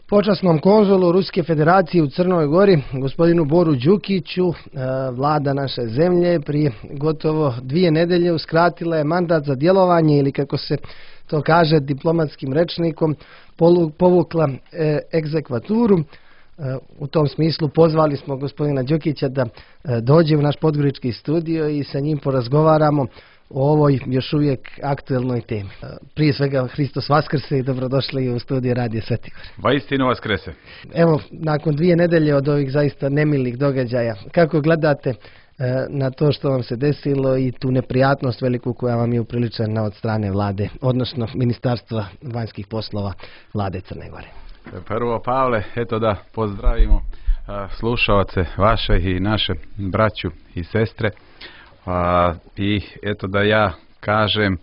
Počasnom konzulu Ruske federacije u Crnoj Gori, gospodinu Boru Đukiću, vlada naše zemlje prije gotovo 2 nedelje uskratila je mandat za djelovanje ili, kako se to kaže diplomatskim rečnikom, povukla egzekvaturu. U tom smislu pozvali smo gospodina Đukića da dođe u naš podgorički studio i sa njim porazgovaramo o ovoj još uvijek aktuelnoj temi. Prije svega, Hristos vaskrse i dobrodošli u studiju Radio Svetigor. Vaistinu vaskrese. Evo, nakon 2 nedelje od ovih zaista nemilih događaja, kako gledate na to što vam se desilo i tu neprijatnost veliku koja vam je upriličena od strane vlade, odnosno Ministarstva vanjskih poslova vlade Crne Gore? Prvo, Pavle, eto da pozdravimo slušaoce vaše i naše braću i sestre. I eto da ja kažem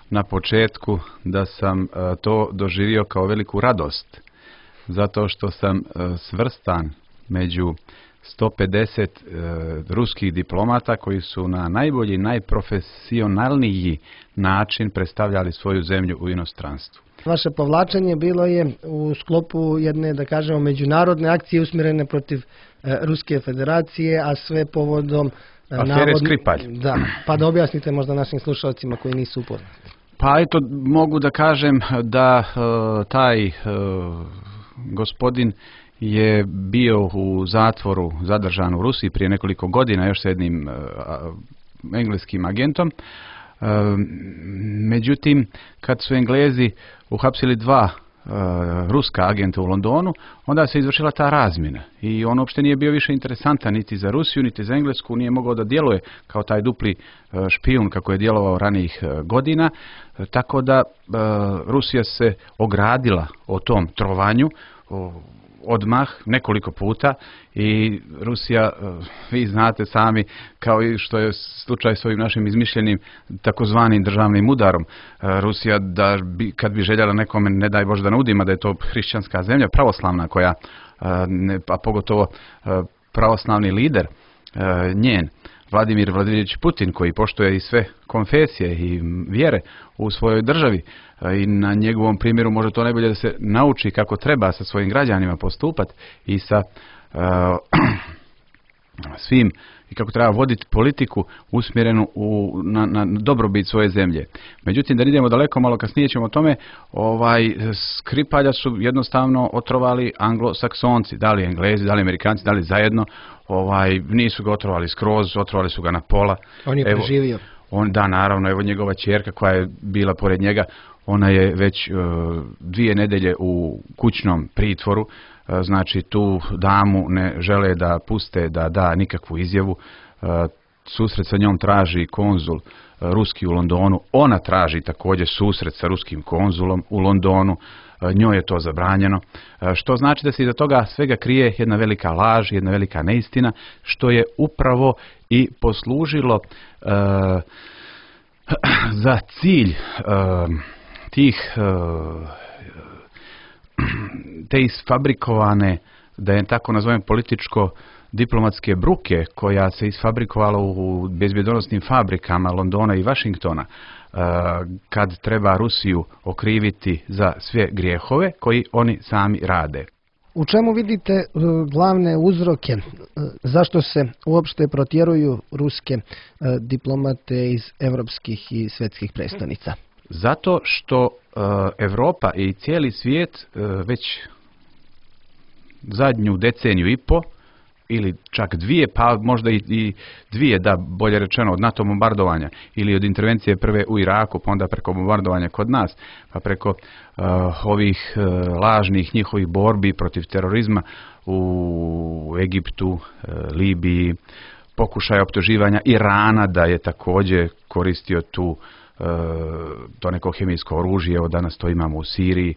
na početku da sam to doživio kao veliku radost, zato što sam svrstan među 150 ruskih diplomata koji su na najbolji, najprofesionalniji način predstavljali svoju zemlju u inostranstvu. Vaše povlačenje bilo je u sklopu jedne, da kažemo, međunarodne akcije usmjerene protiv Ruske federacije, a sve povodom afere Skripalj. Da, pa da objasnite možda našim slušalcima koji nisu upoznati. Pa eto, mogu da kažem da taj gospodin je bio u zatvoru, zadržan u Rusiji prije nekoliko godina još s jednim engleskim agentom. Međutim, kad su Englezi uhapsili 2 ruska agenta u Londonu, onda se izvršila ta razmjena i on uopšte nije bio više interesantan niti za Rusiju, niti za Englesku, nije mogao da djeluje kao taj dupli špijun kako je djelovao ranijih godina, tako da Rusija se ogradila o tom trovanju odmah nekoliko puta i Rusija, vi znate sami, kao i što je slučaj s ovim našim izmišljenim takozvanim državnim udarom, Rusija kad bi željela nekome, ne daj Bože da ne udima da je to hrišćanska zemlja, pravoslavna koja, a pogotovo pravoslavni lider njen, Vladimir Vladimirović Putin, koji poštuje i sve konfesije i vjere u svojoj državi i na njegovom primjeru može to najbolje da se nauči kako treba sa svojim građanima postupati i sa svim i kako treba voditi politiku usmjerenu na dobrobit svoje zemlje. Međutim, da ne idemo daleko, malo kasnije ćemo o tome, Skripalja su jednostavno otrovali Anglosaksonci, da li Englezi, da li Amerikanci, da li zajedno, nisu ga otrovali skroz, otrovali su ga na pola. On je preživio. Da, naravno, evo njegova ćerka koja je bila pored njega, ona je već 2 nedelje u kućnom pritvoru, znači tu damu ne žele da puste da da nikakvu izjavu. Susret sa njom traži konzul ruski u Londonu, ona traži također susret sa ruskim konzulom u Londonu, njoj je to zabranjeno, što znači da se iza toga svega krije jedna velika laž, jedna velika neistina, što je upravo i poslužilo za cilj te isfabrikovane, da je tako nazovem, političko-diplomatske bruke koja se isfabrikovala u bezbjedonosnim fabrikama Londona i Washingtona, kad treba Rusiju okriviti za sve grijehove koji oni sami rade. U čemu vidite glavne uzroke zašto se uopšte protjeruju ruske diplomate iz evropskih i svjetskih predstavnica? Zato što Europa i cijeli svijet već zadnju deceniju i po, ili čak 2, pa možda i 2, da bolje rečeno, od NATO bombardovanja ili od intervencije prve u Iraku, pa onda preko bombardovanja kod nas, pa preko ovih lažnih njihovih borbi protiv terorizma u Egiptu, Libiji, pokušaja optuživanja Irana da je također koristio to neko kemijsko oružje, evo danas to imamo u Siriji,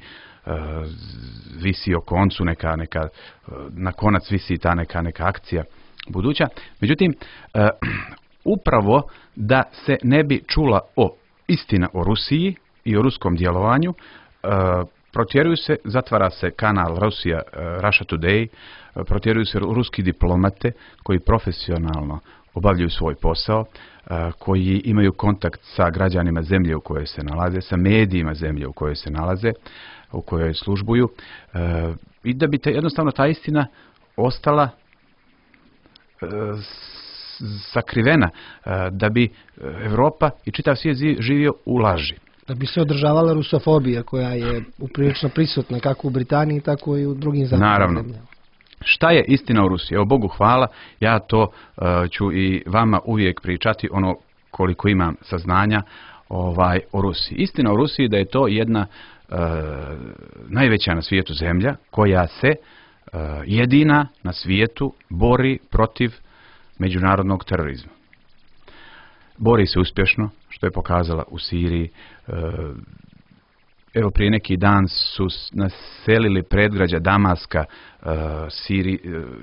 visi o koncu na konac visi ta neka akcija buduća. Međutim, upravo da se ne bi čula istina o Rusiji i o ruskom djelovanju, protjeruju se, zatvara se kanal Russia Today, protjeruju se ruski diplomate koji profesionalno obavljaju svoj posao, koji imaju kontakt sa građanima zemlje u kojoj se nalaze, sa medijima zemlje u kojoj se nalaze. u kojoj službuju i da bi jednostavno ta istina ostala sakrivena, da bi Europa i čitav svijet živio u laži. Da bi se održavala rusofobija koja je uprilično prisutna kako u Britaniji, tako i u drugim zapadnim zemljama. Šta je istina o Rusiji? Evo, Bogu hvala, ja to ću i vama uvijek pričati ono koliko imam saznanja o Rusiji. Istina o Rusiji je da je to jedna najveća na svijetu zemlja koja se jedina na svijetu bori protiv međunarodnog terorizma. Bori se uspješno, što je pokazala u Siriji. Evo, prije neki dan su naselili predgrađa Damaska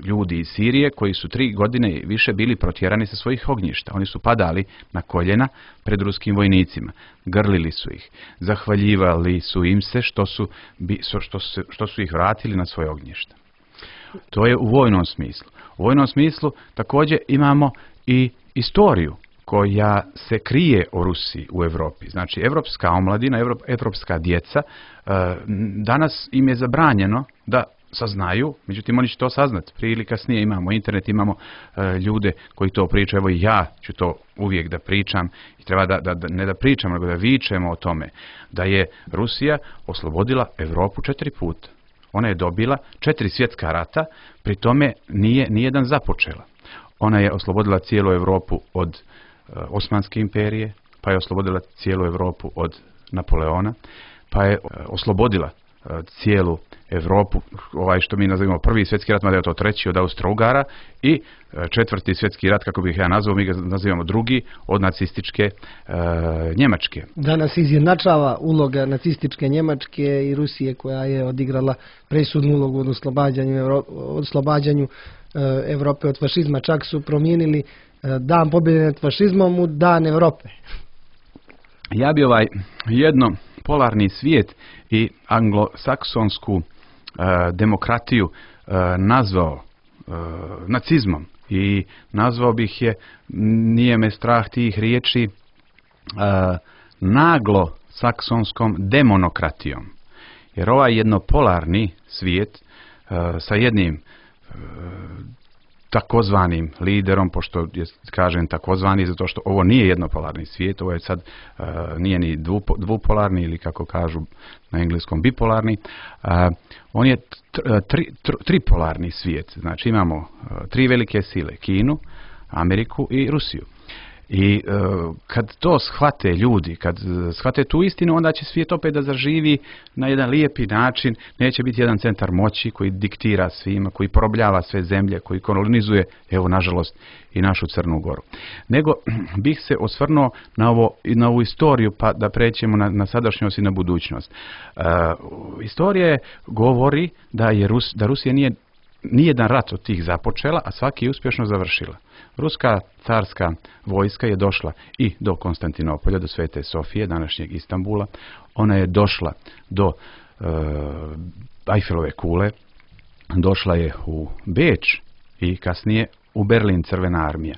ljudi iz Sirije koji su 3 godine i više bili protjerani sa svojih ognjišta. Oni su padali na koljena pred ruskim vojnicima. Grlili su ih. Zahvaljivali su im se što su ih vratili na svoje ognjišta. To je u vojnom smislu. U vojnom smislu također imamo i istoriju koja se krije o Rusiji u Europi. Znači, evropska omladina, evropska djeca, danas im je zabranjeno da saznaju, međutim oni će to saznati. Prije ili kasnije imamo internet, imamo ljude koji to pričaju. Evo i ja ću to uvijek da pričam i treba ne da pričam, nego da vičemo o tome da je Rusija oslobodila Europu 4 puta. Ona je dobila 4 svjetska rata, pri tome nije nijedan započela. Ona je oslobodila cijelu Europu od Osmanske imperije, pa je oslobodila cijelu Europu od Napoleona, pa je oslobodila cijelu Europu, što mi nazivamo prvi svjetski rat, mada je to treći od Austro-Ugara, i 4. svjetski rat, kako bih ja nazvao, mi ga nazivamo drugi, od nacističke Njemačke. Danas izjednačava uloga nacističke Njemačke i Rusije, koja je odigrala presudnu ulogu od oslobađanju Europe od fašizma. Čak su promijenili dan pobjede nad fašizmom u dan Europe. Ja bi jednopolarni svijet i anglosaksonsku demokratiju nazvao nacizmom i nazvao bih je, nije me strah tih riječi, naglo saksonskom demonokratijom. Jer ovaj jednopolarni svijet sa jednim takozvanim liderom, pošto kažem takozvani zato što ovo nije jednopolarni svijet, ovo je sad nije ni dvupolarni ili kako kažu na engleskom bipolarni, on je tripolarni svijet. Znači imamo 3 velike sile, Kinu, Ameriku i Rusiju. I kad to shvate ljudi, kad shvate tu istinu, onda će svijet opet da zaživi na jedan lijepi način. Neće biti jedan centar moći koji diktira svima, koji porobljava sve zemlje, koji kolonizuje, evo nažalost, i našu Crnu Goru. Nego bih se osvrnuo na ovu istoriju, pa da pređemo na sadašnjost i na budućnost. Istorija govori da Rusija nije nijedan rat od tih započela, a svaki je uspješno završila. Ruska carska vojska je došla i do Konstantinopolja, do Svete Sofije, današnjeg Istanbula. Ona je došla do Eifelove kule, došla je u Beč i kasnije u Berlin, Crvena armija.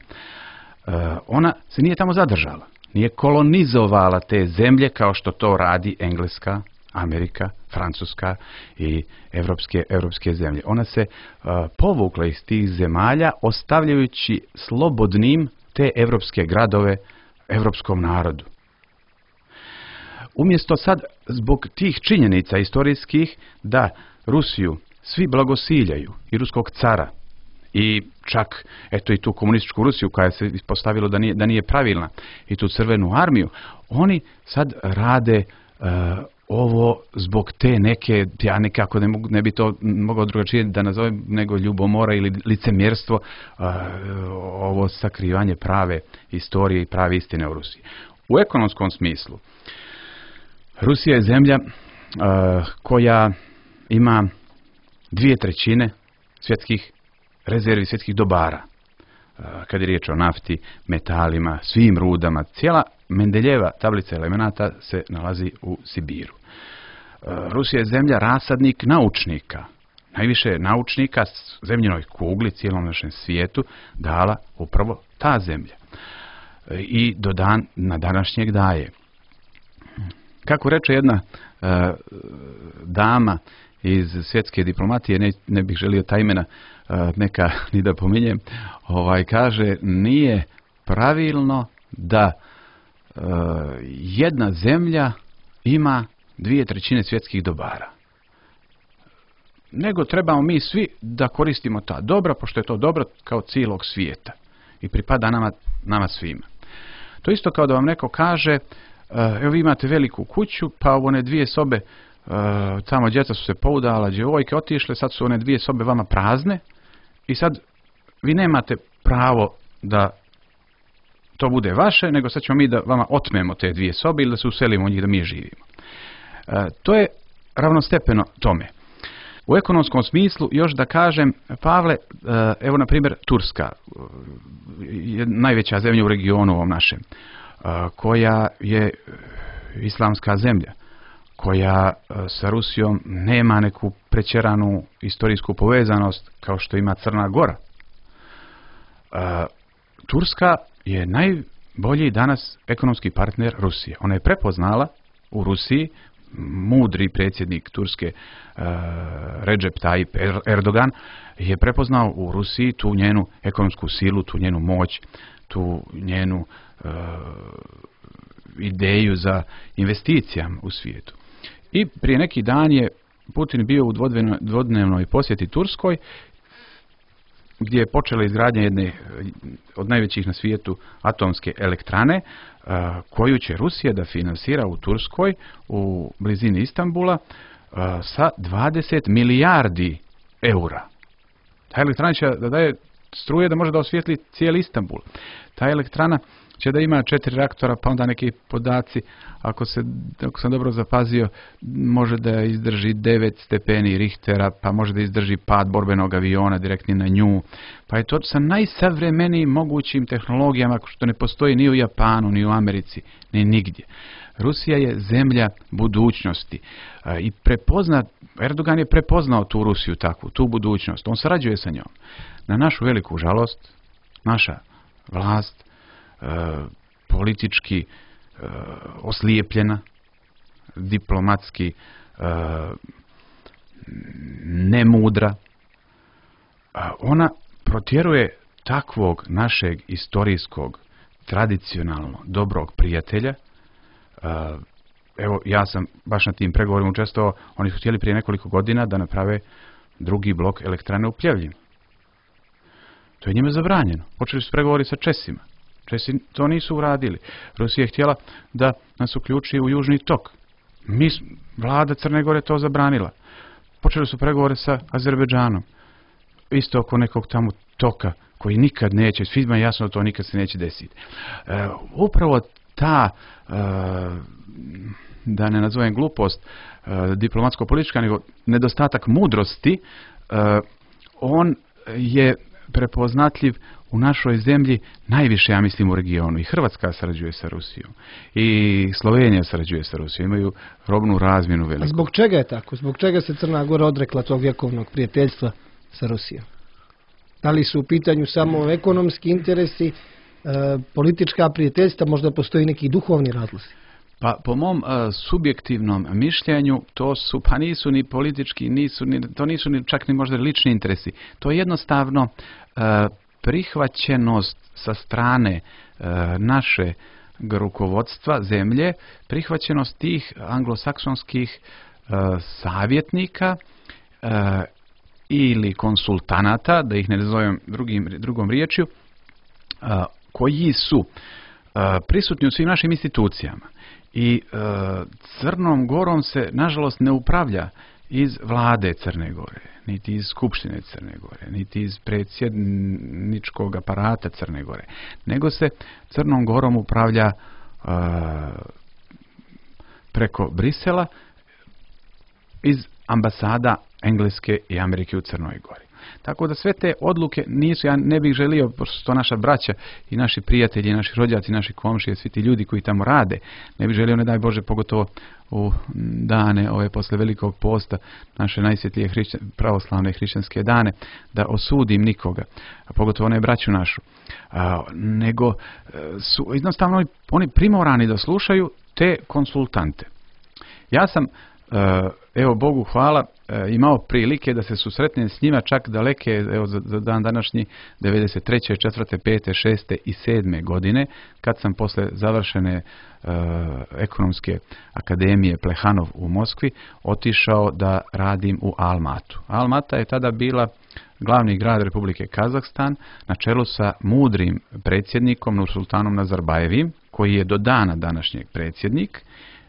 Ona se nije tamo zadržala, nije kolonizovala te zemlje kao što to radi Engleska, Amerika, Francuska i evropske zemlje. Ona se povukla iz tih zemalja ostavljajući slobodnim te evropske gradove evropskom narodu. Umjesto sad zbog tih činjenica istorijskih da Rusiju svi blagosiljaju i ruskog cara i čak eto i tu komunističku Rusiju koja se ispostavilo da nije pravilna i tu Crvenu armiju, oni sad rade ovo zbog te neke, ja nekako ne bi to mogao drugačije da nazovem nego ljubomora ili licemjerstvo, ovo sakrivanje prave istorije i prave istine u Rusiji. U ekonomskom smislu, Rusija je zemlja koja ima 2/3 svjetskih rezervi, svjetskih dobara. Kad je riječ o nafti, metalima, svim rudama, cijela Mendeljeva tablica elemenata se nalazi u Sibiru. Rusija je zemlja rasadnik naučnika. Najviše naučnika zemljinoj kugli, cijelom našem svijetu, dala upravo ta zemlja. I na današnjeg daje. Kako reče jedna dama iz svjetske diplomatije, ne bih želio ta imena neka ni da pominjem, kaže nije pravilno da jedna zemlja ima 2/3 svjetskih dobara. Nego trebamo mi svi da koristimo ta dobra, pošto je to dobro kao cijelog svijeta i pripada nama svima. To isto kao da vam neko kaže, evo vi imate veliku kuću, pa one 2 sobe, tamo djeca su se poudala, djevojke otišle, sad su one 2 sobe vama prazne i sad vi nemate pravo da to bude vaše, nego sad ćemo mi da vama otmemo te 2 sobe ili da se uselimo u njih da mi živimo. To je ravnostepeno tome. U ekonomskom smislu još da kažem, Pavle, evo na primjer Turska, je najveća zemlja u regionu ovom našem, koja je islamska zemlja, koja sa Rusijom nema neku pretjeranu istorijsku povezanost kao što ima Crna Gora. Turska je najbolji danas ekonomski partner Rusije. Ona je prepoznala u Rusiji, mudri predsjednik Turske Recep Tayyip Erdogan je prepoznao u Rusiji tu njenu ekonomsku silu, tu njenu moć, tu njenu ideju za investicijama u svijetu. I prije neki dan je Putin bio u dvodnevnoj posjeti Turskoj, gdje je počela izgradnja jedne od najvećih na svijetu atomske elektrane, koju će Rusija da finansira u Turskoj, u blizini Istanbula, sa 20 milijardi eura. Ta elektrana će da daje struje da može da osvijetli cijeli Istanbul. Ta elektrana će da ima 4 reaktora, pa onda neki podaci, ako sam dobro zapazio, može da izdrži 9 stepeni Richtera, pa može da izdrži pad borbenog aviona direktni na nju. Pa je to sa najsavremenijim mogućim tehnologijama, što ne postoji ni u Japanu, ni u Americi, ni nigdje. Rusija je zemlja budućnosti i Erdogan je prepoznao tu Rusiju takvu, tu budućnost. On sarađuje sa njom. Na našu veliku žalost, naša vlast politički oslijepljena, diplomatski nemudra, ona protjeruje takvog našeg istorijskog, tradicionalno dobrog prijatelja. Evo, ja sam baš na tim pregovorima učestvovao. Oni su htjeli prije nekoliko godina da naprave drugi blok elektrane u Pljevljima. To je njima zabranjeno. Počeli su pregovori sa Česima. Česi to nisu uradili. Rusija je htjela da nas uključi u Južni tok. Vlada Crne Gore to zabranila. Počeli su pregovore sa Azerbejdžanom. Isto oko nekog tamo toka koji nikad neće, svima je jasno da to nikad se neće desiti. Upravo ta, da ne nazovem glupost, diplomatsko-politička, nego nedostatak mudrosti, on je prepoznatljiv u našoj zemlji najviše, ja mislim, u regionu. I Hrvatska sarađuje sa Rusijom. I Slovenija sarađuje sa Rusijom. Imaju robnu razmjenu veliku. A zbog čega je tako? Zbog čega se Crna Gora odrekla tog vjekovnog prijateljstva sa Rusijom? Da li su u pitanju samo ekonomski interesi, politička prijateljstva, možda postoji neki duhovni razlozi? Pa po mom subjektivnom mišljenju pa nisu ni politički, to nisu ni čak ni možda lični interesi. To je jednostavno prihvaćenost sa strane naše rukovodstva zemlje, prihvaćenost tih anglosaksonskih savjetnika ili konsultanata, da ih ne nazovem drugom riječju, koji su prisutni u svim našim institucijama. I Crnom Gorom se, nažalost, ne upravlja iz vlade Crne Gore, niti iz Skupštine Crne Gore, niti iz predsjedničkog aparata Crne Gore, nego se Crnom Gorom upravlja preko Brisela iz ambasada Engleske i Amerike u Crnoj Gori. Tako da sve te odluke nisu, ja ne bih želio, pošto su to naša braća i naši prijatelji, naši rođaci, naši komšije, svi ti ljudi koji tamo rade, ne bih želio, ne daj Bože, pogotovo u dane ove posle Velikog posta, naše najsvjetlije pravoslavne hrišćanske dane, da osudim nikoga, a pogotovo ne braću našu, nego su jednostavno oni primorani da slušaju te konsultante. Ja sam, evo Bogu hvala, imao prilike da se susretnem s njima čak daleke, evo za dan današnji, 93. 4. 5. 6. i 7. godine, kad sam posle završene ekonomske akademije Plehanov u Moskvi otišao da radim u Almatu. Almata je tada bila glavni grad Republike Kazahstan na čelu sa mudrim predsjednikom Nursultanom Nazarbajevim, koji je do dana današnjeg predsjednik,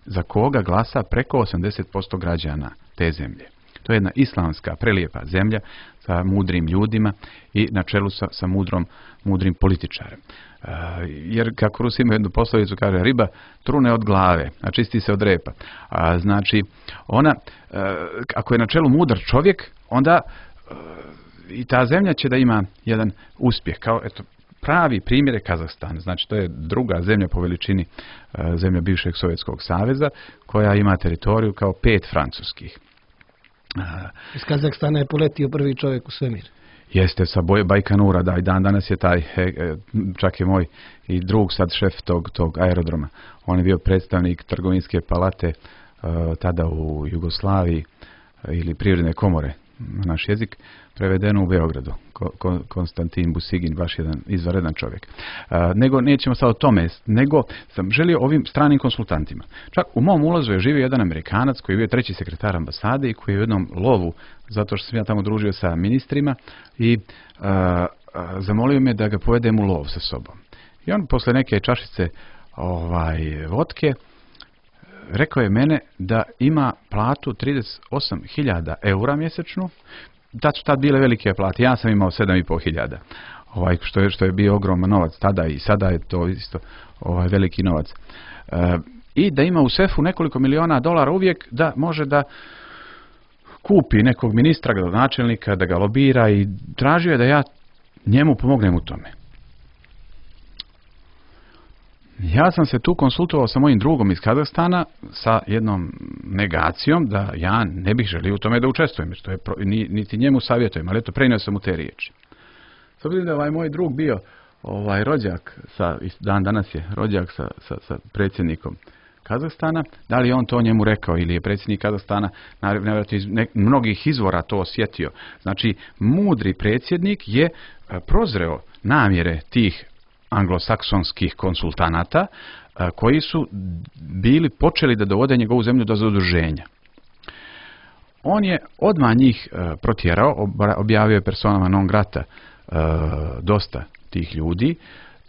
za koga glasa preko 80% građana te zemlje. To je jedna islamska, prelijepa zemlja sa mudrim ljudima i na čelu sa mudrim političarem. Jer kako Rusi imaju jednu poslovicu, kaže riba trune od glave, a čisti se od repa. Znači, ona, ako je na čelu mudar čovjek, onda i ta zemlja će da ima jedan uspjeh. Kao, eto, pravi primjer je Kazahstan. Znači, to je druga zemlja po veličini zemlja bivšeg Sovjetskog saveza, koja ima teritoriju kao 5 francuskih. Iz Kazahstana je poletio prvi čovjek u svemir. Jeste, sa Bajkanura, da, i dan danas je taj, čak je moj i drug sad šef tog aerodroma. On je bio predstavnik trgovinske palate tada u Jugoslaviji ili privredne komore, naš jezik, prevedeno u Beogradu. Konstantin Busigin, baš jedan izvanredan čovjek. Nego, nećemo sad o tome, nego sam želio ovim stranim konsultantima. Čak u mom ulazu je živio jedan Amerikanac koji je bio 3. sekretar ambasade i koji je u jednom lovu, zato što sam ja tamo družio sa ministrima, i zamolio me da ga povedem u lov sa sobom. I on posle neke čašice vodke rekao je mene da ima platu 38.000 eura mjesečnu. Da su tad bile velike plate. Ja sam imao 7.500. Što je bio ogroman novac tada i sada je to isto veliki novac. I da ima u sefu nekoliko miliona dolara uvijek da može da kupi nekog ministra, gradonačelnika, da ga lobira, i tražio je da ja njemu pomognem u tome. Ja sam se tu konsultovao sa mojim drugom iz Kazahstana sa jednom negacijom da ja ne bih želio u tome da učestvujem, što je niti njemu savjetujem, ali eto, prenio sam mu te riječi. S obzirom da je moj drug bio rođak, dan danas je rođak sa predsjednikom Kazahstana, da li je on to njemu rekao ili je predsjednik Kazahstana nevjerojatno iz mnogih izvora to osjetio. Znači, mudri predsjednik je prozreo namjere tih anglosaksonskih konsultanata koji su bili počeli da dovode njegovu zemlju do zaduženja. On je odmah njih protjerao, objavio je personama non grata dosta tih ljudi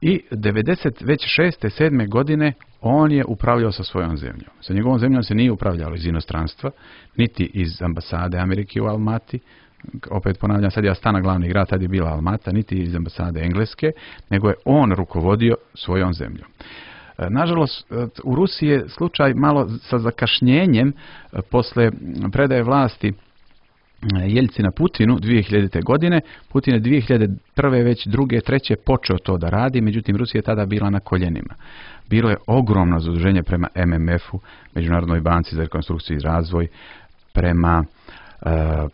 i 96. 7. godine on je upravljao sa svojom zemljom. Sa njegovom zemljom se nije upravljalo iz inostranstva, niti iz ambasade Amerike u Almati. Opet ponavljam, sad je Astana glavni grad, tad je bila Almata, niti iz ambasade Engleske, nego je on rukovodio svojom zemljom. Nažalost, u Rusiji je slučaj malo sa zakašnjenjem posle predaje vlasti Jeljcina Putinu 2000. godine. Putin je 2001. već 2. 3. počeo to da radi, međutim Rusija je tada bila na koljenima. Bilo je ogromno zaduženje prema MMF-u, Međunarodnoj banci za rekonstrukciju i razvoj, prema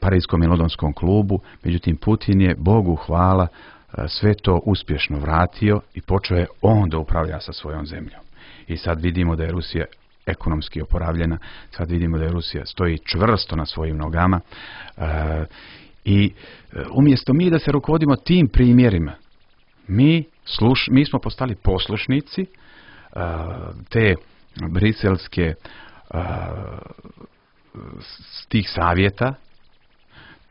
Parijskom i Londonskom klubu, međutim Putin je, Bogu hvala, sve to uspješno vratio i počeo je on da upravlja sa svojom zemljom. I sad vidimo da je Rusija ekonomski oporavljena, sad vidimo da je Rusija stoji čvrsto na svojim nogama i umjesto mi da se rukovodimo tim primjerima, mi smo postali poslušnici te briselske tih savjeta.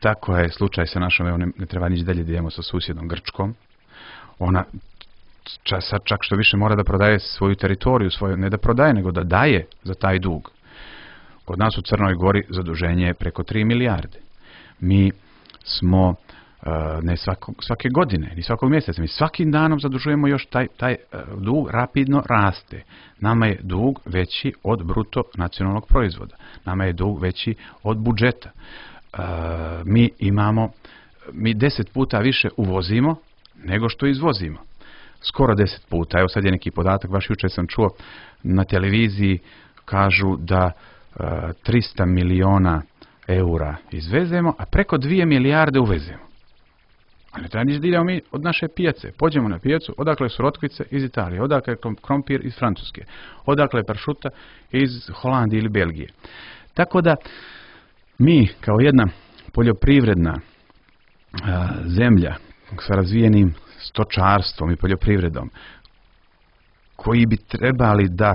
Tako je slučaj sa našom, evo ne treba nići dalje da idemo sa susjednom Grčkom. Ona čak što više mora da prodaje svoju teritoriju, ne da prodaje, nego da daje za taj dug. Kod nas u Crnoj Gori zaduženje je preko 3 milijarde. Mi smo ne svake godine, ni svakog mjeseca, mi svakim danom zadužujemo još taj dug rapidno raste. Nama je dug veći od bruto nacionalnog proizvoda. Nama je dug veći od budžeta. Mi 10 puta više uvozimo nego što izvozimo. Skoro 10 puta. Evo sad je neki podatak, baš jučer sam čuo na televiziji, kažu da 300 miliona eura izvezemo, a preko 2 milijarde uvezemo. A ne treba ništa da idemo mi od naše pijace. Pođemo na pijacu, odakle su rotkvice iz Italije, odakle je krompir iz Francuske, odakle je pršuta iz Holandije ili Belgije. Tako da mi kao jedna poljoprivredna zemlja sa razvijenim stočarstvom i poljoprivredom, koji bi trebali da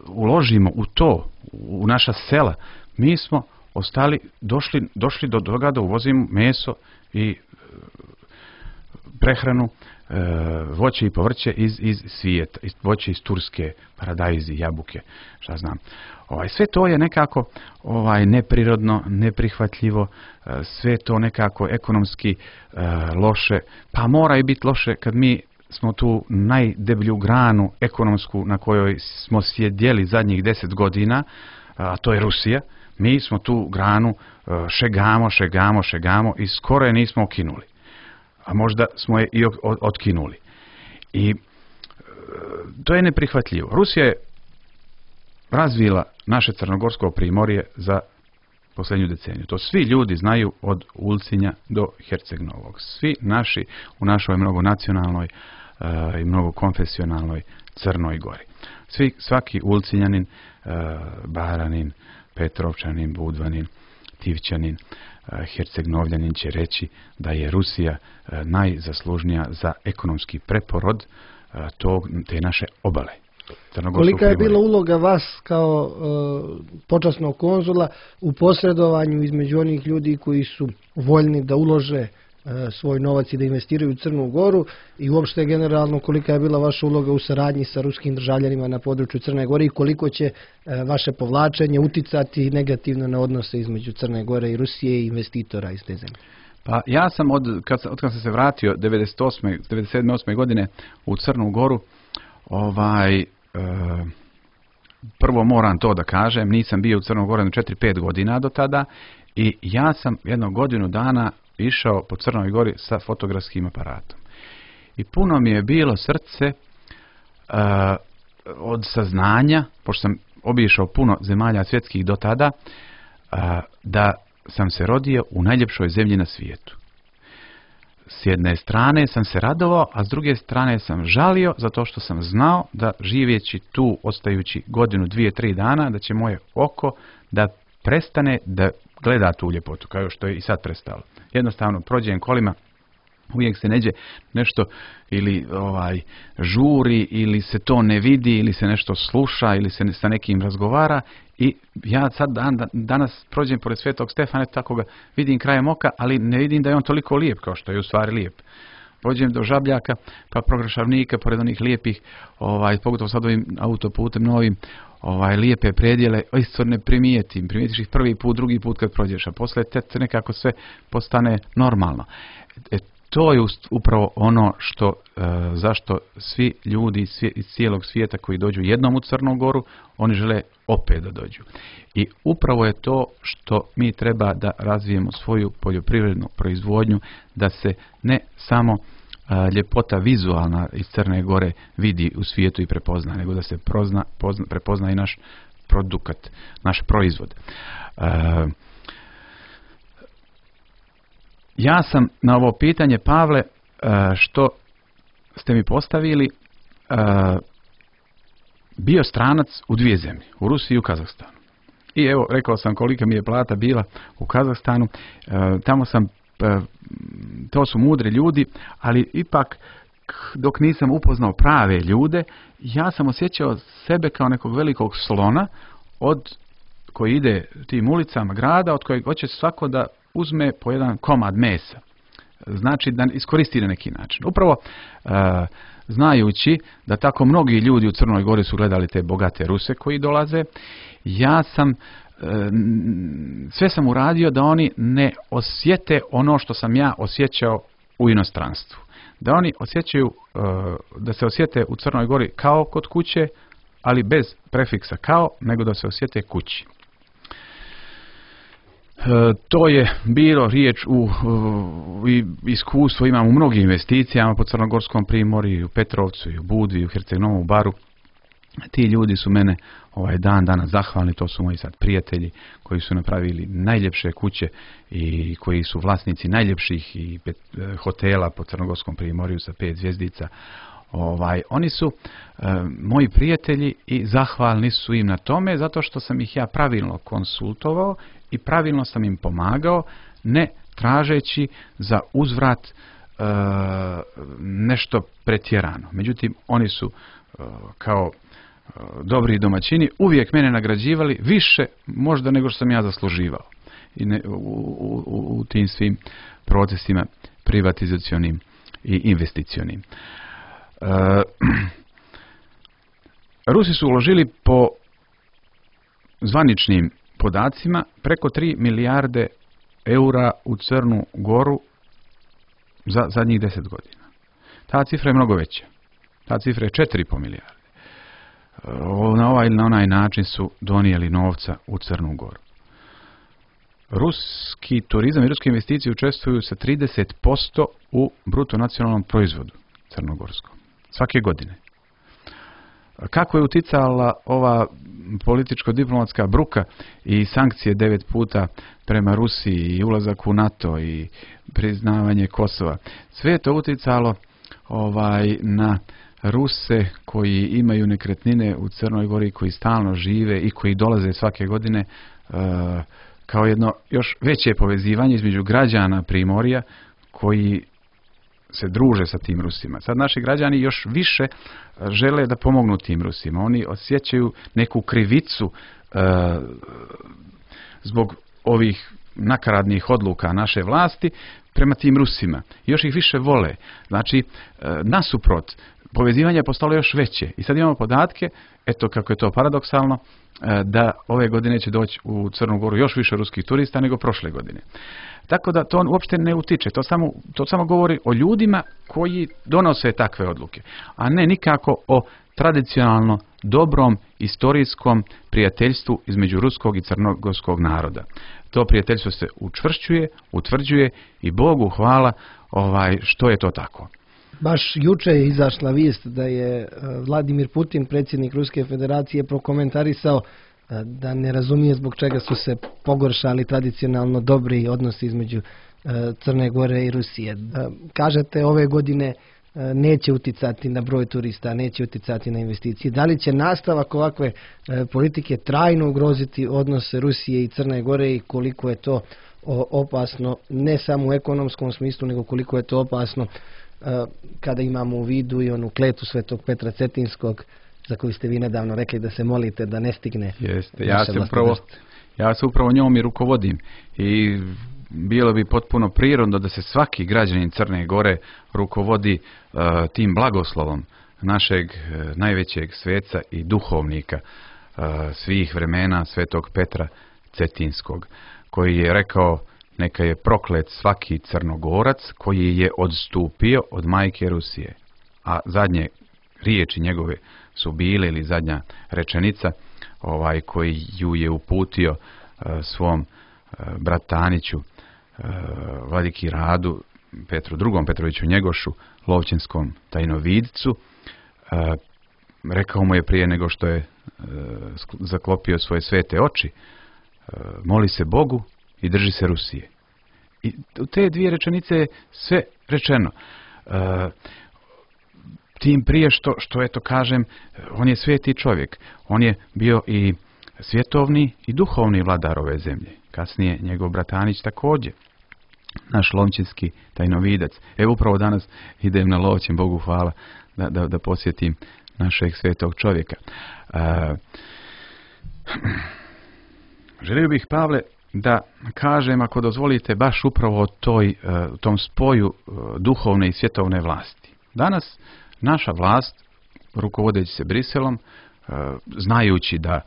uložimo u to, u naša sela, mi smo došli do toga da uvozimo meso i prehranu, voće i povrće iz svijeta, voće iz Turske, paradajzi, jabuke, šta znam. Sve to je nekako neprirodno, neprihvatljivo, sve to nekako ekonomski loše, pa mora i biti loše kad mi smo tu najdeblju granu ekonomsku na kojoj smo sjedjeli zadnjih 10 godina, a to je Rusija. Mi smo tu granu šegamo i skoro je nismo okinuli. A možda smo je i otkinuli. I to je neprihvatljivo. Rusija je razvila naše crnogorsko primorje za posljednju deceniju. To svi ljudi znaju od Ulcinja do Herceg-Novog. Svi naši u našoj mnogonacionalnoj i mnogokonfesionalnoj Crnoj Gori. Svaki Ulcinjanin, Baranin, Petrovčanin, Budvanin, Tivčanin, Herceg-Novljanin će reći da je Rusija najzaslužnija za ekonomski preporod te naše obale. Kolika je bila uloga vas kao počasnog konzula u posredovanju između onih ljudi koji su voljni da ulože svoj novac i da investiraju u Crnu Goru i uopšte generalno kolika je bila vaša uloga u saradnji sa ruskim državljanima na području Crne Gore i koliko će vaše povlačenje uticati negativno na odnose između Crne Gore i Rusije i investitora iz te zemlje? Pa ja sam kad sam se vratio 97. godine u Crnu Goru, prvo moram to da kažem, nisam bio u Crnoj Gori 4-5 godina do tada i ja sam jedno godinu dana išao po Crnoj Gori sa fotografskim aparatom. I puno mi je bilo srce od saznanja, pošto sam obišao puno zemalja svjetskih do tada, da sam se rodio u najljepšoj zemlji na svijetu. S jedne strane sam se radovao, a s druge strane sam žalio zato što sam znao da živjeći tu, ostajući godinu, 2-3 dana, da će moje oko da prestane da gleda tu ljepotu, kao što je i sad prestalo. Jednostavno prođem kolima, uvijek se neđe nešto ili žuri, ili se to ne vidi, ili se nešto sluša, ili se sa nekim razgovara i ja sad danas prođem pored Svetog Stefana, tako ga vidim krajem oka, ali ne vidim da je on toliko lijep kao što je u stvari lijep. Pođem do Žabljaka, pa Prograšavnika, pored onih lijepih, pogotovo sad ovim autoputem novim, lijepe predjele, isto ne primijetiš ih prvi put, drugi put kad prođeš, a poslije te nekako sve postane normalno. To je upravo ono zašto svi ljudi iz cijelog svijeta koji dođu jednom u Crnu Goru, oni žele opet da dođu. I upravo je to što mi treba da razvijemo svoju poljoprivrednu proizvodnju, da se ne samo ljepota vizualna iz Crne Gore vidi u svijetu i prepozna, nego da se prepozna i naš produkat, naš proizvod. Ja sam na ovo pitanje, Pavle, što ste mi postavili, bio stranac u 2 zemlje, u Rusiji i u Kazahstanu. I evo, rekao sam kolika mi je plata bila u Kazahstanu, tamo sam, to su mudri ljudi, ali ipak dok nisam upoznao prave ljude, ja sam osjećao sebe kao nekog velikog slona koji ide tim ulicama grada, od kojeg hoće svako da uzme po jedan komad mesa. Znači da iskoristi na neki način. Upravo znajući da tako mnogi ljudi u Crnoj Gori su gledali te bogate Ruse koji dolaze, sve sam uradio da oni ne osjete ono što sam ja osjećao u inostranstvu. Da oni da se osjete u Crnoj Gori kao kod kuće, ali bez prefiksa kao, nego da se osjete kući. To je bilo riječ iskustvo imam u mnogim investicijama po Crnogorskom primorju, u Petrovcu, u Budvi, u Herceg-Novom Baru. Ti ljudi su mene dan danas zahvalni, to su moji sad prijatelji koji su napravili najljepše kuće i koji su vlasnici najljepših i hotela po Crnogorskom primorju sa 5 zvjezdica. Oni su moji prijatelji i zahvalni su im na tome zato što sam ih ja pravilno konsultovao i pravilno sam im pomagao, ne tražeći za uzvrat nešto pretjerano. Međutim, oni su kao dobri domaćini uvijek mene nagrađivali više možda nego što sam ja zasluživao u tim svim procesima privatizacionim i investicionim. Rusi su uložili po zvaničnim podacima preko 3 milijarde eura u Crnu Goru za zadnjih 10 godina. Ta cifra je mnogo veća. Ta cifra je 4,5 milijarde. Na ovaj ili na onaj način su donijeli novca u Crnu Goru. Ruski turizam i ruske investicije učestvuju sa 30% u bruto nacionalnom proizvodu crnogorskom. Svake godine. Kako je uticala ova političko-diplomatska bruka i sankcije 9 puta prema Rusiji i ulazak u NATO i priznavanje Kosova? Sve je to uticalo na Ruse koji imaju nekretnine u Crnoj Gori, koji stalno žive i koji dolaze svake godine kao jedno još veće povezivanje između građana Primorja koji se druže sa tim Rusima. Sad naši građani još više žele da pomognu tim Rusima. Oni osjećaju neku krivicu zbog ovih nakaradnih odluka naše vlasti prema tim Rusima. Još ih više vole. Znači, nasuprot, povezivanje je postalo još veće. I sad imamo podatke, eto kako je to paradoksalno, da ove godine će doći u Crnu Goru još više ruskih turista nego prošle godine. Tako da to uopšte ne utiče. To samo govori o ljudima koji donose takve odluke. A ne nikako o tradicionalno dobrom istorijskom prijateljstvu između ruskog i crnogorskog naroda. To prijateljstvo se učvršćuje, utvrđuje i Bogu hvala što je to tako. Baš juče je izašla vijest da je Vladimir Putin, predsjednik Ruske federacije, prokomentarisao da ne razumije zbog čega su se pogoršali tradicionalno dobri odnosi između Crne Gore i Rusije. Kažete, ove godine neće uticati na broj turista, neće uticati na investicije. Da li će nastavak ovakve politike trajno ugroziti odnose Rusije i Crne Gore i koliko je to opasno ne samo u ekonomskom smislu, nego koliko je to opasno kada imamo u vidu i onu kletvu Svetog Petra Cetinskog za koju ste vi nedavno rekli da se molite da ne stigne. Jeste, ja se upravo njom i rukovodim i bilo bi potpuno prirodno da se svaki građanin Crne Gore rukovodi tim blagoslovom našeg najvećeg sveca i duhovnika svih vremena Svetog Petra Cetinskog, koji je rekao: neka je proklet svaki Crnogorac koji je odstupio od majke Rusije. A zadnje riječi njegove su bile, ili zadnja rečenica, koji ju je uputio svom brataniću vladiki Radu, Petru II. Petroviću Njegošu, lovćinskom tajnovidcu. Rekao mu je prije nego što je zaklopio svoje svete oči: moli se Bogu i drži se Rusije. I u te dvije rečenice je sve rečeno. Tim prije što eto kažem, on je sveti čovjek. On je bio i svjetovni i duhovni vladar ove zemlje. Kasnije njegov bratanić također. Naš lovćinski tajnovidac. Evo upravo danas idem na Lovćen, Bogu hvala, da posjetim našeg svetog čovjeka. Želio bih, Pavle, da kažem, ako dozvolite, baš upravo o tom spoju duhovne i svjetovne vlasti. Danas naša vlast, rukovodeći se Briselom, znajući da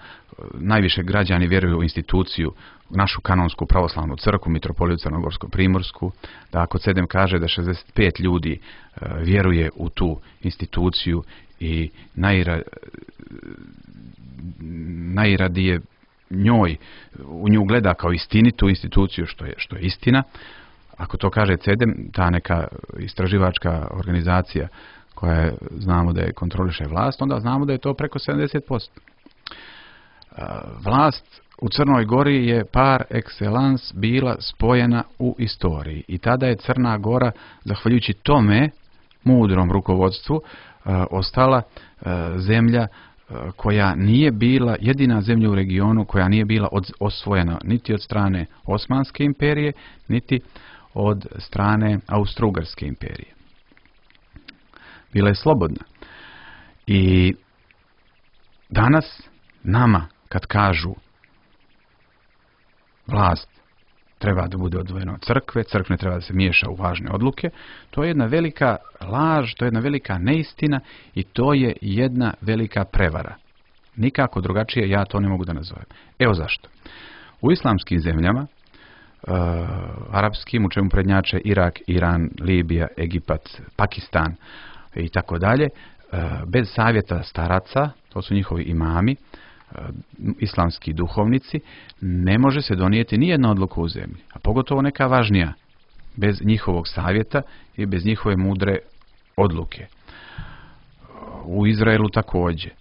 najviše građani vjeruju u instituciju, našu kanonsku pravoslavnu crkvu, mitropoliju Crnogorsko-Primorsku, da ako CEDEM kaže da 65 ljudi vjeruje u tu instituciju i najradije u nju gleda kao istinitu instituciju, što je istina. Ako to kaže CEDEM, ta neka istraživačka organizacija koja znamo da je kontroliše vlast, onda znamo da je to preko 70%. Vlast u Crnoj Gori je par excellence bila spojena u istoriji i tada je Crna Gora, zahvaljujući tome mudrom rukovodstvu, ostala zemlja koja nije bila jedina zemlja u regionu koja nije bila osvojena niti od strane Osmanske imperije, niti od strane Austro-Ugarske imperije. Bila je slobodna. I danas nama kad kažu vlast treba da bude odvojena od crkve, crkva ne treba da se miješa u važne odluke, to je jedna velika laž, to je jedna velika neistina i to je jedna velika prevara. Nikako drugačije ja to ne mogu da nazovem. Evo zašto. U islamskim zemljama, arapskim, u čemu prednjače Irak, Iran, Libija, Egipat, Pakistan i tako dalje, bez savjeta staraca, to su njihovi imami, islamski duhovnici, ne može se donijeti nijedna odluka u zemlji, a pogotovo neka važnija, bez njihovog savjeta i bez njihove mudre odluke. U Izraelu također.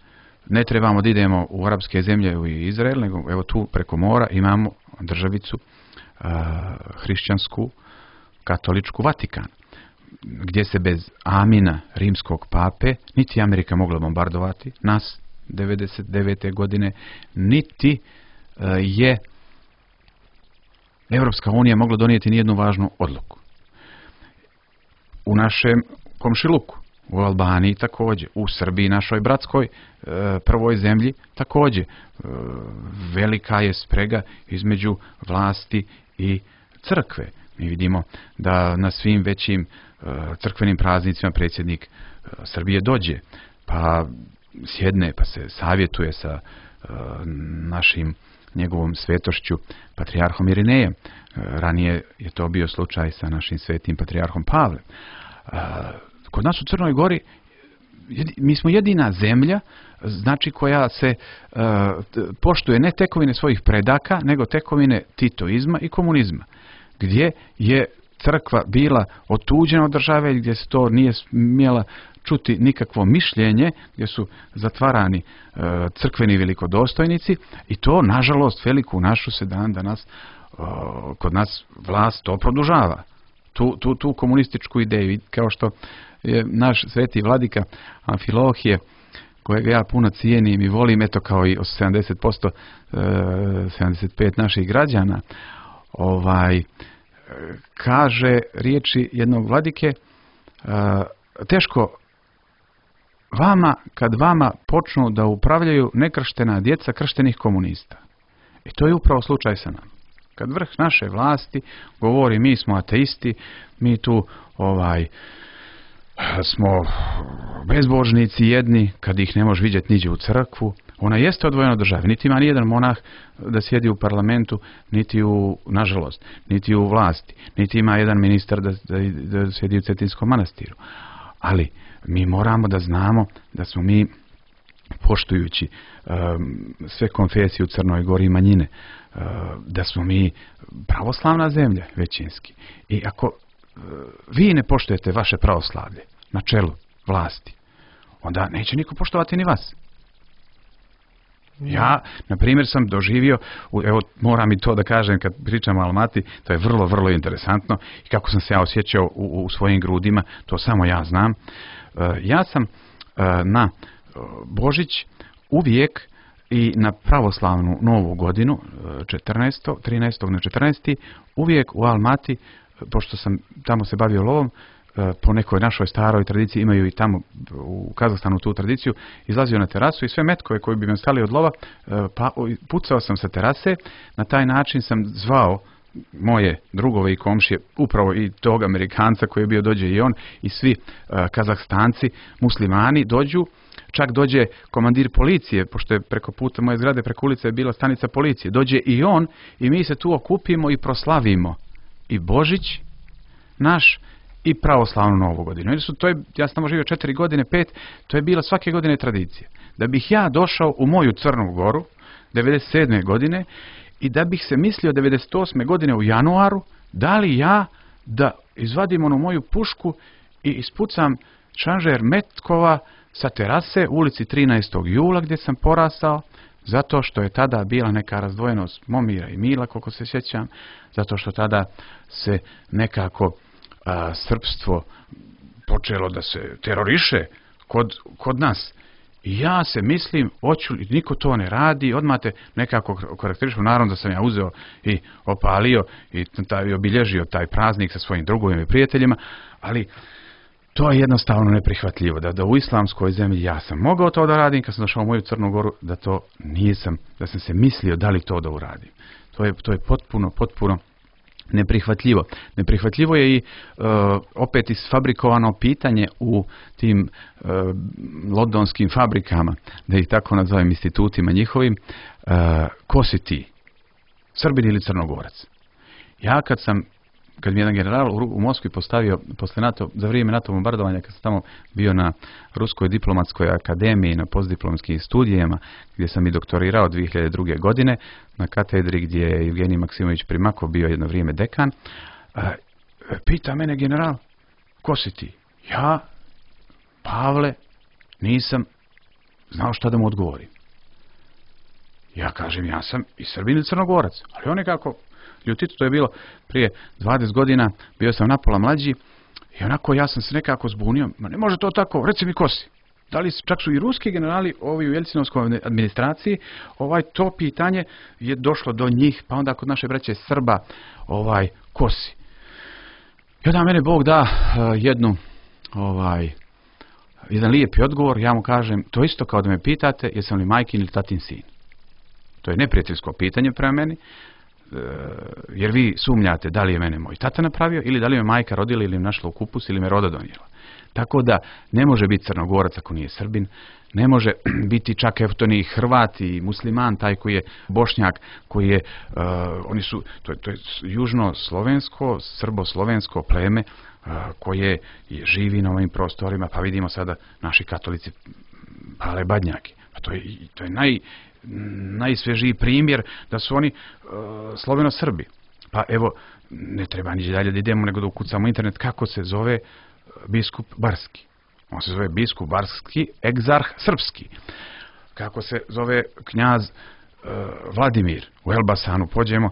Ne trebamo da idemo u arapske zemlje u Izrael, nego evo tu preko mora imamo državicu hrišćansku, katoličku Vatikan, gdje se bez amina rimskog pape niti Amerika mogla bombardovati nas 1999. godine, niti je Evropska unija mogla donijeti nijednu važnu odluku. U našem komšiluku, u Albaniji također, u Srbiji, našoj bratskoj prvoj zemlji također, velika je sprega između vlasti i crkve. Mi vidimo da na svim većim crkvenim praznicima predsjednik Srbije dođe, pa sjedne, pa se savjetuje sa njegovom svetošću patrijarhom Irinejem. Ranije je to bio slučaj sa našim svetim patrijarhom Pavlem. Kod nas u Crnoj Gori mi smo jedina zemlja, znači koja se poštuje ne tekovine svojih predaka, nego tekovine titoizma i komunizma, gdje je crkva bila otuđena od države, gdje se to nije smjela čuti nikakvo mišljenje, gdje su zatvarani crkveni velikodostojnici i to, nažalost, veliku našu se danas kod nas vlast to produžava. Tu komunističku ideju, kao što je naš sveti vladika Amfilohije, kojega ja puno cijenim i volim, eto kao i 70%, 75 naših građana, kaže riječi jednog vladike, teško vama kad vama počnu da upravljaju nekrštena djeca krštenih komunista. I to je upravo slučaj sa nama. Kad vrh naše vlasti govori mi smo ateisti, mi tu smo bezbožnici jedni, kad ih ne može vidjeti niđe u crkvu, ona jeste odvojena od države. Niti ima nijedan monah da sjedi u parlamentu, niti nažalost, niti u vlasti, niti ima jedan ministar da sjedi u Cetinskom manastiru. Ali mi moramo da znamo da smo mi, poštujući sve konfesije u Crnoj Gori i manjine, da smo mi pravoslavna zemlja većinski. I ako vi ne poštujete vaše pravoslavlje na čelu vlasti, onda neće niko poštovati ni vas. Ja, na primjer, sam doživio, evo, moram i to da kažem kad pričam o Almati, to je vrlo, vrlo interesantno i kako sam se ja osjećao u svojim grudima, to samo ja znam. Ja sam na Božić uvijek i na pravoslavnu novu godinu, 13. na 14. uvijek u Almati, pošto sam tamo se bavio lovom, po nekoj našoj staroj tradiciji, imaju i tamo u Kazahstanu tu tradiciju, izlazio na terasu i sve metkove koji bi me stali od lova, pucao sam sa terase, na taj način sam zvao moje drugove i komšije, upravo i tog Amerikanca koji je bio, dođe i on, i svi Kazahstanci, muslimani dođu, čak dođe komandir policije, pošto je preko puta moje zgrade, preko ulice je bila stanica policije, dođe i on i mi se tu okupimo i proslavimo i Božić naš i pravoslavnu novu godinu. Ja sam tamo živio 4 godine, 5, to je bila svake godine tradicija. Da bih ja došao u moju Crnu Goru 97. godine i da bih se mislio 98. godine u januaru, da li ja da izvadim onu moju pušku i ispucam šanžer metkova sa terase u ulici 13. jula gdje sam porastao, zato što je tada bila neka razdvojenost Momira i Mila, koliko se sjećam, zato što tada se nekako srpstvo počelo da se teroriše kod nas. I ja se mislim, niko to ne radi, odmah te nekako karakterišu, naravno da sam ja uzeo i opalio i obilježio taj praznik sa svojim drugovima i prijateljima, ali to je jednostavno neprihvatljivo, da u islamskoj zemlji ja sam mogao to da radim, kad sam došao u moju Crnu Goru, da to nisam, da sam se mislio da li to da uradim. To je potpuno neprihvatljivo. Neprihvatljivo je i opet isfabrikovano pitanje u tim londonskim fabrikama, da ih tako nazovem institutima njihovim, ko si ti? Srbin ili Crnogorac? Ja kad mi jedan general u Moskvi postavio za vrijeme NATO bombardovanja, kad sam tamo bio na Ruskoj diplomatskoj akademiji na postdiplomskim studijama, gdje sam i doktorirao 2002. godine na katedri gdje je Evgenij Maksimović Primakov bio jedno vrijeme dekan, pita mene general, ko si ti? Ja, Pavle, nisam znao šta da mu odgovorim. Ja kažem, ja sam i Srbin i Crnogorac, ali on nekako ljutito, to je bilo prije 20 godina, bio sam napola mlađi i onako ja sam se nekako zbunio. Ma ne može to tako, reci mi ko si. Da li čak su i ruski generali ovi u Jelcinovskoj administraciji, to pitanje je došlo do njih, pa onda kod naše braće Srba, ko si. I onda mene Bog da jedan lijepi odgovor, ja mu kažem, to isto kao da me pitate jesam li majkin ili tatin sin. To je neprijateljsko pitanje prema meni, jer vi sumnjate da li je mene moj tata napravio ili da li me majka rodila ili me našla u kupus ili me roda donijela. Tako da ne može biti Crnogorac ako nije Srbin, ne može biti čak to ni Hrvat i musliman, taj koji je Bošnjak, koji je, to je južno-slovensko, srbo-slovensko pleme koje živi na ovim prostorima, pa vidimo sada naši katolici pale badnjake. To je najsvježiji primjer da su oni Sloveno-Srbi. Pa evo, ne treba niđe dalje da idemo, nego da ukucamo internet kako se zove biskup Barski. On se zove biskup Barski, egzarh srpski. Kako se zove knjaz Vladimir. U Elbasanu pođemo,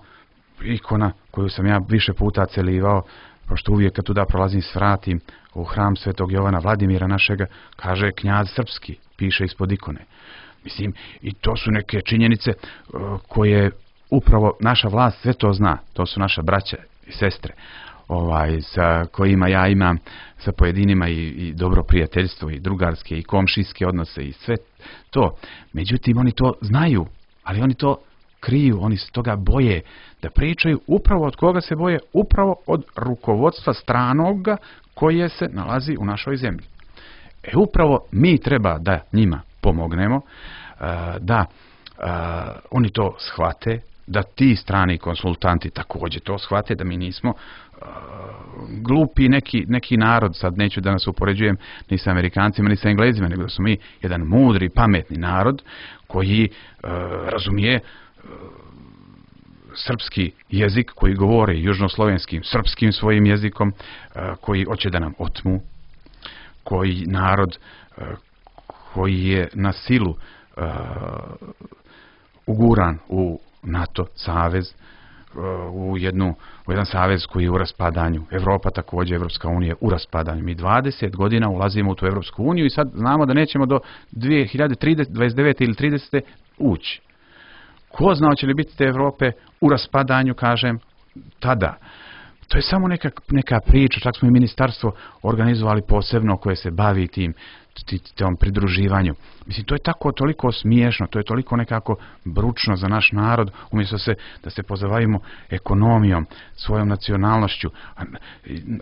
ikona koju sam ja više puta celivao, pošto uvijek kad tuda prolazim svratim u hram Svetog Jovana Vladimira našega, kaže knjaz srpski, piše ispod ikone. Mislim, i to su neke činjenice koje upravo naša vlast sve to zna. To su naša braća i sestre sa kojima ja imam sa pojedinima i dobro prijateljstvo i drugarske i komšijske odnose i sve to. Međutim, oni to znaju, ali oni to kriju, oni se toga boje da pričaju. Upravo od koga se boje? Upravo od rukovodstva stranoga koje se nalazi u našoj zemlji. Upravo mi treba da njima pomognemo, da oni to shvate, da ti strani konsultanti također to shvate, da mi nismo glupi neki narod, sad neću da nas upoređujem ni sa Amerikancima ni sa Englezima, nego da smo mi jedan mudri, pametni narod koji razumije srpski jezik, koji govori južnoslovenskim, srpskim svojim jezikom, koji hoće da nam otmu, koji narod koji je na silu uguran u NATO savez, u jedan savez koji je u raspadanju. Evropa također, Evropska unija u raspadanju. Mi 20 godina ulazimo u tu Evropsku uniju i sad znamo da nećemo do 2029. ili 30. ući. Ko zna će li biti te Evrope u raspadanju, kažem, tada. To je samo neka priča, čak smo i ministarstvo organizovali posebno koje se bavi tom pridruživanju. Mislim, to je tako toliko smiješno, to je toliko nekako bručno za naš narod, umjesto da se pozabavimo ekonomijom, svojom nacionalnošću,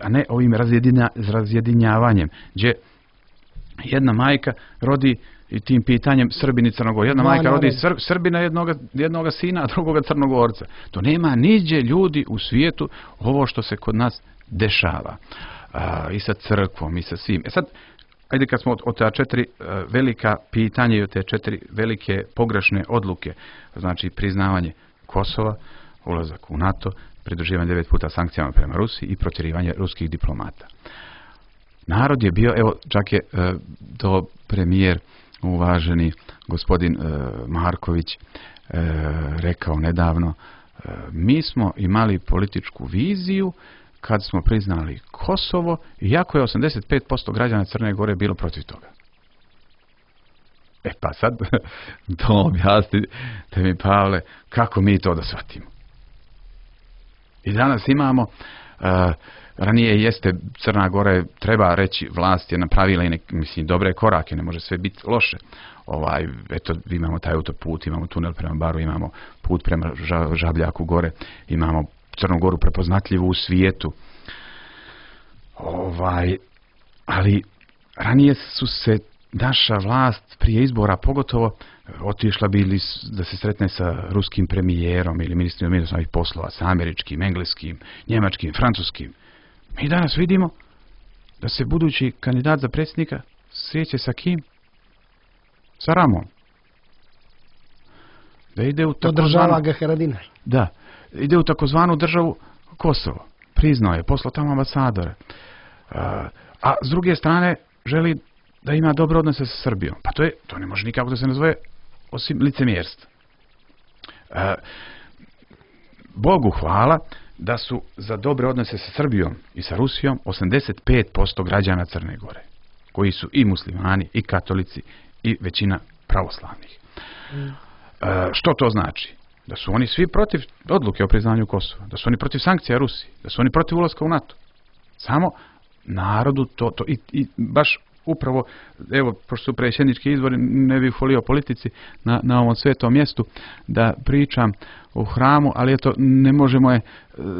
a ne ovim razjedinjavanjem, gdje jedna majka rodi i tim pitanjem Srbin i Crnogor. Jedna majka rodi Srbina, jednoga sina, a drugoga Crnogorca. To nema niđe ljudi u svijetu ovo što se kod nas dešava. I sa crkvom, i sa svim. Sad, ajde kad smo od ta 4 velika pitanja i od te 4 velike pogrešne odluke, znači priznavanje Kosova, ulazak u NATO, pridruživanje 9 puta sankcijama prema Rusiji i protjerivanje ruskih diplomata. Narod je bio, evo čak je to premijer uvaženi gospodin Marković rekao nedavno, mi smo imali političku viziju kad smo priznali Kosovo, iako je 85% građana Crne Gore bilo protiv toga. Pa sad, to objasnite mi, Pavle, kako mi to da shvatimo. I danas imamo, ranije jeste, Crna Gora, treba reći, vlast je napravila i dobre korake, ne može sve biti loše. Eto, imamo taj autoput, imamo tunel prema Baru, imamo put prema Žabljaku gore, imamo Crnu Goru prepoznatljivu u svijetu. Ali ranije su se naša vlast prije izbora pogotovo otišla bili da se sretne sa ruskim premijerom ili ministrom međunarodnih poslova, sa američkim, engleskim, njemačkim, francuskim. Mi danas vidimo da se budući kandidat za predsjednika sreće sa kim? Sa Ramom. Da ide u podržava ga Haradinaj. Da, ide u takozvanu državu Kosovo. Priznao je, poslao tamo ambasadore. A s druge strane želi da ima dobre odnose sa Srbijom. Pa to ne može nikako da se nazove osim licemjerstva. Bogu hvala da su za dobre odnose sa Srbijom i sa Rusijom 85% građana Crne Gore, koji su i muslimani, i katolici, i većina pravoslavnih. Što to znači? Da su oni svi protiv odluke o priznanju Kosova, da su oni protiv sankcija Rusiji, da su oni protiv ulaska u NATO. Samo narodu to i baš upravo, evo, pošto su predsjednički izbori, ne bih volio politici na ovom svetom mjestu da pričam u hramu, ali eto, ne možemo je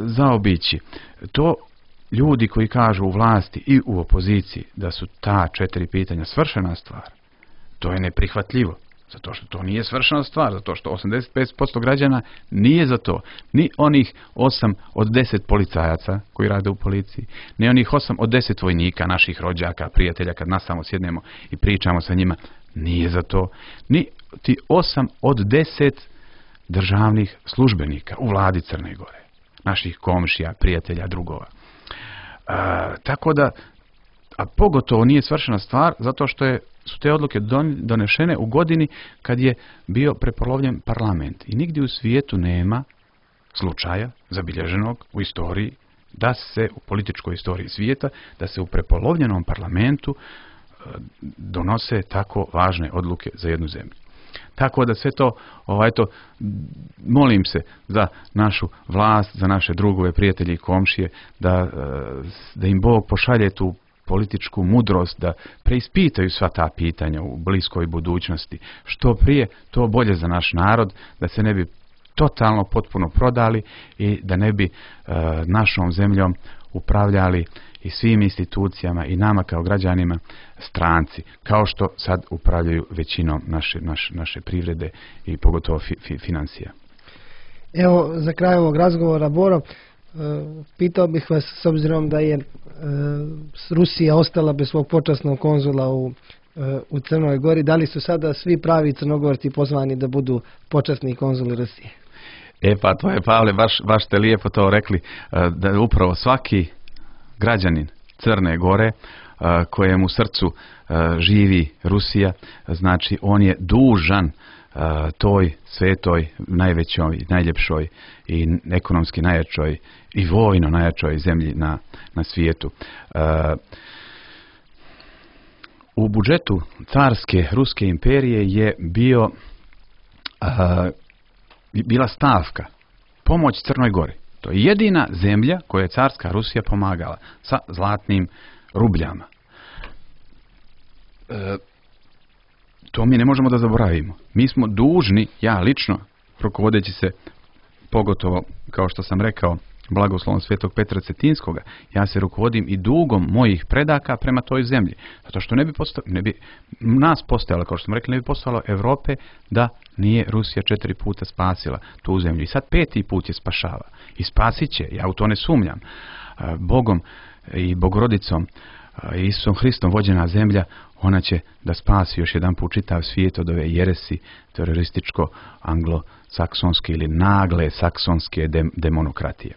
zaobići. To ljudi koji kažu u vlasti i u opoziciji da su ta 4 pitanja svršena stvar, to je neprihvatljivo. Zato što to nije svršena stvar, zato što 85% građana nije za to. Ni onih 8 od 10 policajaca koji rade u policiji, ni onih 8 od 10 vojnika, naših rođaka, prijatelja, kad nas samo sjednemo i pričamo sa njima, nije za to. Ni ti 8 od 10 državnih službenika u vladi Crne Gore, naših komšija, prijatelja, drugova. Tako da, a pogotovo nije svršena stvar, zato što su te odluke donešene u godini kad je bio prepolovljen parlament. I nigdje u svijetu nema slučaja zabilježenog u istoriji, da se u političkoj istoriji svijeta, da se u prepolovljenom parlamentu donose tako važne odluke za jednu zemlju. Tako da sve to, molim se za našu vlast, za naše drugove, prijatelje i komšije, da im Bog pošalje tu političku mudrost, da preispitaju sva ta pitanja u bliskoj budućnosti. Što prije, to bolje za naš narod, da se ne bi totalno potpuno prodali i da ne bi našom zemljom upravljali i svim institucijama i nama kao građanima stranci, kao što sad upravljaju većinom naše privrede i pogotovo financija. Evo, za kraj ovog razgovora, Boro, pitao bih vas, s obzirom da je Rusija ostala bez svog počasnog konzula u Crnoj Gori, da li su sada svi pravi Crnogorci pozvani da budu počasni konzuli Rusije? Pa to je, Pavle, baš ste lijepo to rekli, da upravo svaki građanin Crne Gore kojem u srcu živi Rusija, znači on je dužan toj svetoj, najvećoj, najljepšoj i ekonomski najjačoj i vojno najjačoj zemlji na svijetu. U budžetu carske Ruske imperije je bila stavka pomoć Crnoj Gori. To je jedina zemlja koju je carska Rusija pomagala sa zlatnim rubljama. To mi ne možemo da zaboravimo. Mi smo dužni, ja lično, rukovodeći se pogotovo, kao što sam rekao, blagoslovom svetog Petra Cetinskoga, ja se rukovodim i dugom mojih predaka prema toj zemlji. Zato što ne bi nas postojalo, kao što smo rekli, ne bi postojalo Europe da nije Rusija 4 puta spasila tu zemlju. I sad 5. put je spašava. I spasit će, ja u to ne sumnjam. Bogom i Bogorodicom, Isusom Hristom vođena zemlja, ona će da spasi još jedan put čitav svijet od ove jeresi terorističko-anglosaksonske ili nagle saksonske demonokratije.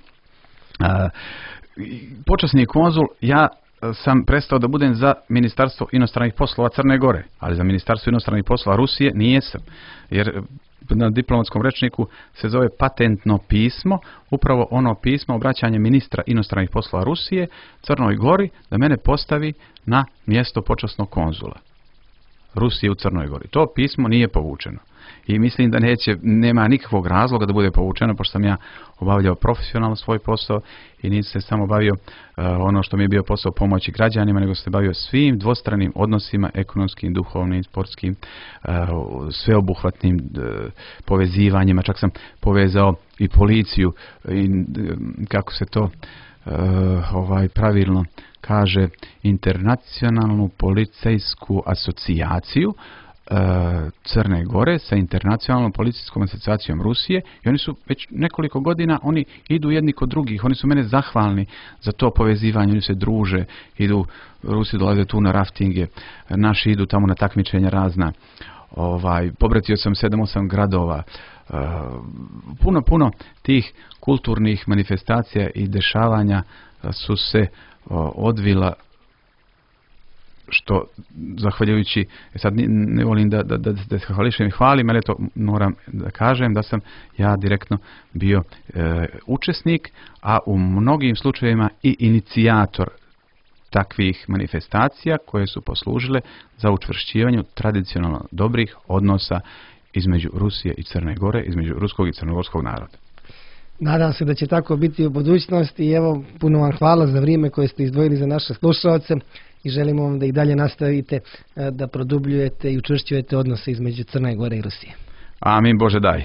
Počasni konzul, ja sam prestao da budem za Ministarstvo inostranih poslova Crne Gore, ali za Ministarstvo inostranih poslova Rusije nijesam, jer na diplomatskom rečniku se zove patentno pismo, upravo ono pismo obraćanje ministra inostranih poslova Rusije Crnoj Gori da mene postavi na mjesto počasnog konzula Rusije u Crnoj Gori. To pismo nije povučeno. I mislim da nema nikakvog razloga da bude povučeno, pošto sam ja obavljao profesionalno svoj posao i nisam se samo bavio ono što mi je bio posao pomoći građanima, nego sam se bavio svim dvostranim odnosima, ekonomskim, duhovnim, sportskim, sveobuhvatnim povezivanjima. Čak sam povezao i policiju i kako se to pravilno kaže, internacionalnu policijsku asocijaciju Crne Gore sa internacionalnom policijskom asocijacijom Rusije i oni su već nekoliko godina, oni idu jedni kod drugih, oni su mene zahvalni za to povezivanje, oni se druže, Rusi dolaze tu na raftinge, naši idu tamo na takmičenja razna, pobratio sam 7-8 gradova, puno tih kulturnih manifestacija i dešavanja su se odvila, što zahvaljujući, sad ne volim da hvališem i hvalim, ali to moram da kažem da sam ja direktno bio učesnik, a u mnogim slučajevima i inicijator takvih manifestacija koje su poslužile za učvršćivanje tradicionalno dobrih odnosa između Rusije i Crne Gore, između ruskog i crnogorskog naroda. Nadam se da će tako biti u budućnosti i evo, puno vam hvala za vrijeme koje ste izdvojili za naše slušalce i želimo vam da i dalje nastavite da produbljujete i učvršćujete odnose između Crne Gore i Rusije. Amin, Bože daj.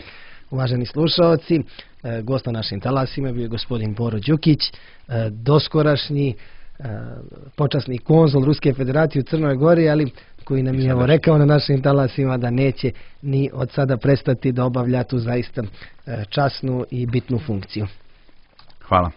Uvaženi slušalci, gost na našim talasima bio je gospodin Boro Đukić, doskorašnji počasni konzul Ruske federacije u Crnoj Gori, ali koji nam je rekao na našim talasima da neće ni od sada prestati da obavlja tu zaista časnu i bitnu funkciju. Hvala.